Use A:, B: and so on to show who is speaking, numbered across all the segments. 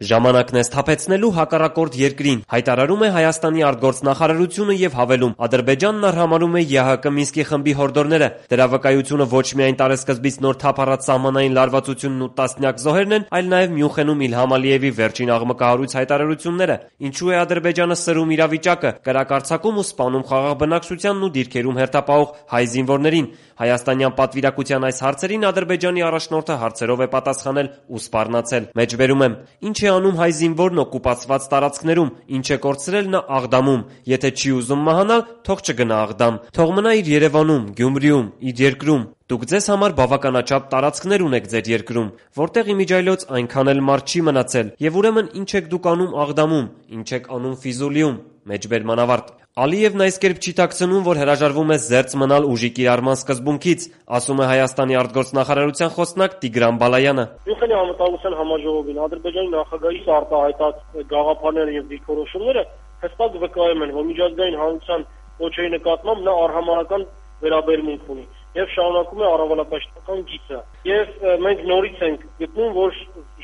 A: Ժամանակն է սթափեցնելու հակառակորդ երկրին, հայտարարում է Հայաստանի արտգործնախարարությունը եւ հավելում. Ադրբեջանն արհամարհում է ԵՀԿ Մինսկի խմբի հորդորները։ Դրա վկայությունը ոչ միայն տարեսկզբից նոր թափ առած սահմանային լարվածությունն ու տասնյակ զոհերն են, այլ նաեւ Մյունխենում Իլհամ Ալիևի վերջին աղմկահարույց հայտարարությունները։ Ինչու է Ադրբեջանը սրում իրավիճակը, կրակարձակում ու սպանում խաղաղ բնակչությանն ու դիրքերում հերթապահող հայ զինվորներին։ Հայաստանյան պատվիրակության այս հարցերին Ադրբեջանի առաջնորդը հարցերով է պատասխանել ու սպառնացել։ Մեջբերում եմ. Ինչ է անում հայ զինվորն օկուպացված տարածքներում, ինչ է կորցրել նա Աղդամում, եթե չի ուզում մահանալ, թող չգնա Աղդամ, թող մնա իր Երևանում, Գյումրիում, իր երկրում։ Դուք ձեզ համար բավականաչափ տարածքներ ունեք ձեր երկրում, որտեղ իմիջիայլոց այնքան էլ մարդ չի մնացել, եւ ուրեմն ինչ եք դուք անում Աղդամում, ինչ եք անում Ֆիզուլիում։ Մեջբերման ավարտ։ Ալիևն այս կերպ չի թաքցնում, որ հրաժարվում է զերծ մնալ ուժի կիրառման սկզբունքից, ասում է Հայաստանի արտգործնախարարության խոսնակ Տիգրան Բալայանը։
B: Մյունխենի անվտանգության համաժողովին Ադրբեջանի նախագահի արտահայտած գաղափարները եւ դիրքորոշումները հստակ վկայում են, որ միջազգային հանրության ոչերի նկատմամբ նա արհամարհական վերաբերմունք ունի եւ շարունակում է առավելապաշտպանական գիծը։ Եվ մենք նորից ենք գտնում, որ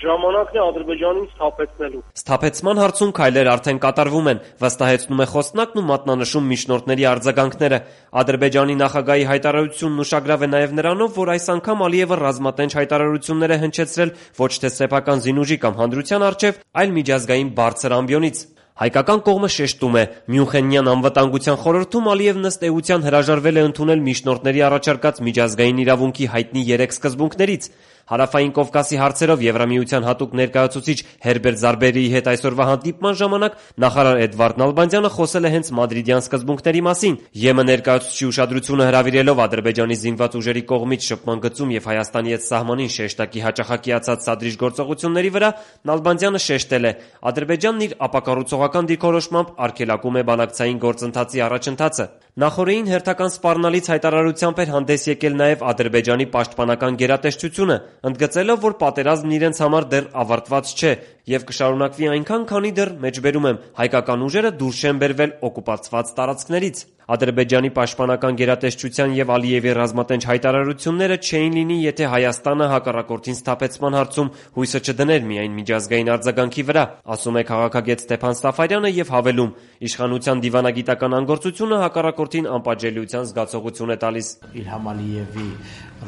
B: ժամանակն է Ադրբեջանին սթափեցնելու։
A: Սթափեցման հարցում քայլեր արդեն կատարվում են, վստահեցնում է խոսնակն ու մատնանշում միջնորդների արձագանքները։ Ադրբեջանի նախագահի հայտարարությունն ուշագրավ է նաև նրանով, որ այս անգամ Ալիևը ռազմատենչ հայտարարություններ է հնչեցրել ոչ թե սեփական զինուժի կամ հանրության առջև, այլ միջազգային բարձր ամբիոնից։ Հայկական կողմը շեշտում է, Մյունխենյան անվտանգության խորհրդում Ալիևն ըստ էության հրաժարվել է ընդունել միջնորդների առաջարկած միջազգային իրավունքի հայտնի 3 սկզբունքներից։ Հարավային Կովկասի հարցերով Եվրամիության հատուկ ներկայացուցիչ Հերբերտ Զարբերիի հետ այսօրվա հանդիպման ժամանակ նախարար Էդվարդ Նալբանդյանը խոսել է հենց մադրիդյան սկզբունքների մասին։ ԵՄ ներկայացուցչի ուշադրությունը հրավիրելով Ադրբեջանի զինված ուժերի կողմից շփման գծում եւ Հայաստանի հետ սահմանին շեշտակի հաճախակիացած սադրիչ գործողությունների վրա Նալբանդյանը շեշտել է. Ադրբեջանն իր ապակառուցողական դիրքորոշմամբ արգելակում է բանակցային գործընթացի առաջընթացը։ Նախորդին հերթական սպառնալից հայտարարությամբ էր հանդես եկել նաև Ադրբեջանի պաշտպանական գերատեսչությունը, ընդգծելով, որ պատերազմն իրենց համար դեռ ավարտված չէ եւ կշարունակվի այնքան, քանի դեռ մեջբերում եմ հայկական ուժերը դուրս չեն բերվել օկուպացված տարածքներից։ Ադրբեջանի պաշտպանական գերատեսչության եւ Ալիևի ռազմատենչ հայտարարությունները չէին լինի, եթե Հայաստանը հակառակորդին սթափեցման հարցում հույսը չդներ միայն միջազգային արձագանքի վրա, ասում է քաղաքագետ Ստեփան Սաֆարյանը եւ հավելում. իշխանության դիվանագիտական անգործությունը հակառակորդին անպատժելիության զգացողություն է տալիս։
C: Իլհամ Ալիևի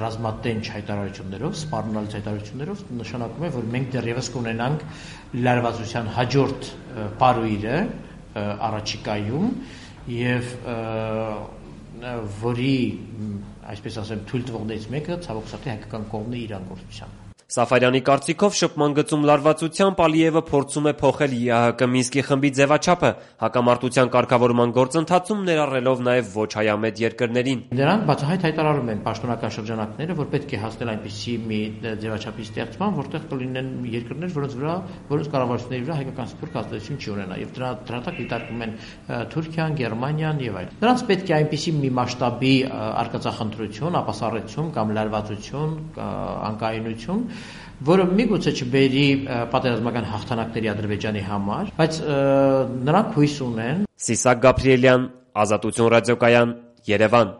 C: ռազմատենչ հայտարարություններով, սպառնալից հայտարարություններով նշանակում է, որ մենք դեռևս կունենանք լարվածության հաջորդ պարույրը առաջիկայում եւ որի, այսպես ասեմ, թույլ տվողներից մեկը ցավոք սրտի հայկական կողմն է իր անգործությամբ։
A: Սաֆարյանի կարծիքով շփման գծում լարվածությամբ Ալիևը փորձում է փոխել ԵՀԿ Մինսկի խմբի ձևաչափը, հակամարտության կարգավորման գործընթացում ներառելով նաև ոչ հայամետ երկրներին։
C: Նրանք բացահայտ հայտարարում են պաշտոնական շրջանակները, որ պետք է հասնել այնպիսի մի ձևաչափի ստեղծման, որտեղ կլինեն երկրներ, որոնց կառավարությունների վրա հայկական սփյուռք ազդեցություն չի ունենա, եւ դրա տակ դիտարկում են Թուրքիան, Գերմանիան եւ այլն։ Նրանց պետք է այնպիսի մի մասշտաբի արկածախնդրություն, ապասառեցում կամ լարվածություն, անկայունություն, որը միգուցե չբերի պատերազմական հաղթանակների Ադրբեջանի համար, բայց նրանք հույս ունեն։
A: Սիսակ Գաբրիելյան, Ազատություն ռադիոկայան, Երևան։